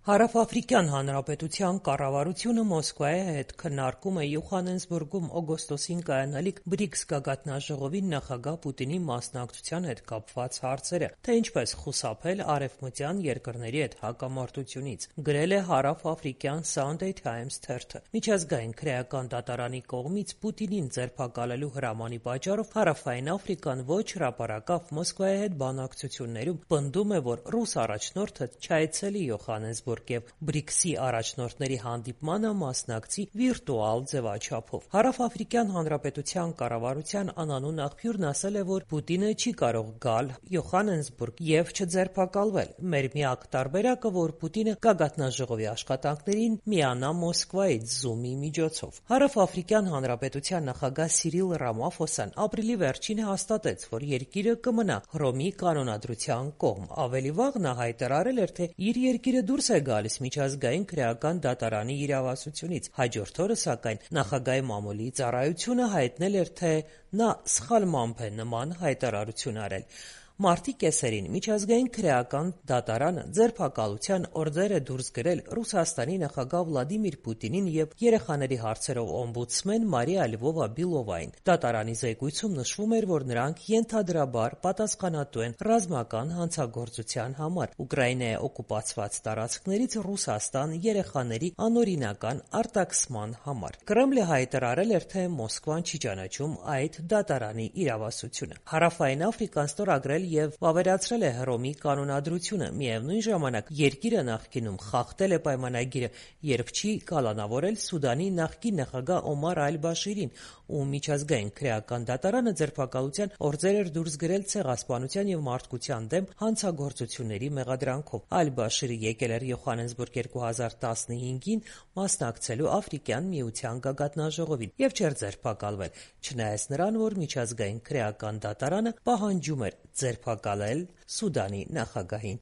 Հարավաֆրիկյան Հանրապետության կառավարությունը Մոսկվայի հետ քննարկում է Յոհաննեսբուրգում օգոստոսին կայանալիք BRICS գագաթնաժողովին նախագահ Պուտինի մասնակցության հետ կապված հարցերը, թե ինչպես խուսափել արևմտյան երկրների հետ հակամարտությունից, գրել է հարավաֆրիկյան Sunday Times թերթը։ Միջազգային քրեական դատարանի կողմից Պուտինին ձերբակալելու հրամանի պատճառով Հարավային Աֆրիկան ոչ հրապարակավ Մոսկվայի հետ բանակցություններում պնդում է, որ ռուս առաջնորդը չայցելի Յոհաննեսբուրգ եւ BRICS-ի առաջնորդների հանդիպմանը մասնակցի վիրտուալ ձևաչափով։ Հարավաֆրիկյան Հանրապետության կառավարության անանուն աղբյուրն ասել է, որ Պուտինը չի կարող գալ Յոհաննեսբուրգ եւ չձերբակալվել։ Մեր միակ տարբերակը, որ Պուտինը գագաթնաժողովի աշխատանքներին միանա Մոսկվայից Zoom-ի միջոցով։ Հարավաֆրիկյան Հանրապետության նախագահ Սիրիլ Ռամաֆոսան ապրիլի վերջին հաստատեց, որ երկիրը կմնա Հռոմի կանոնադրության կողմ։ Ավելի վաղ նա հայտարարել էր, թե իր երկիրը դուրս է գալիս միջազգային քրեական դատարանի իրավասությունից։ Հաջորդ օրը, սակայն, նախագահի մամուլի ծառայությունը հայտնել էր, թե նա սխալմամբ է նման հայտարարություն արել։ Մարտի կեսերին միջազգային քրեական դատարանը ձերբակալության օրդեր է դուրս գրել Ռուսաստանի նախագահ Վլադիմիր Պուտինին եւ երեխաների հարցերով օմբուդսմեն Մարիա Լьвова-Բիլովային։ Դատարանի զեկույցում նշվում էր, որ նրանք ենթադրաբար պատասխանատու են ռազմական հանցագործության համար Ուկրաինայի օկուպացված տարածքներից Ռուսաստան երեխաների անօրինական արտաքսման համար։ Կրեմլը հայտարարել էր, թե Մոսկվան չի ճանաչում այդ դատարանի իրավասությունը։ Հարավային Աֆրիկան ստորագրել եւ վավերացրել է Հռոմի կանոնադրությունը։ Միևնույն ժամանակ երկիրը նախկինում խախտել է պայմանագիրը, երբ չի կալանավորել Սուդանի նախկին նախագահ Օմար Ալ-Բաշիրին, ու միջազգային քրեական դատարանը ձերբակալության օրդեր էր դուրս գրել ցեղասպանության եւ մարդկության դեմ հանցագործությունների մեղադրանքով։ Ալ-Բաշիրը եկել էր Յոհաննեսբուրգ 2015-ին մասնակցելու Աֆրիկյան միության գագաթնաժողովին եւ չէր ձերբակալվել, չնայած նրան, որ միջազգային քրեական դատարանը պահանջում էր ձերբակալել Սուդանի նախագահին։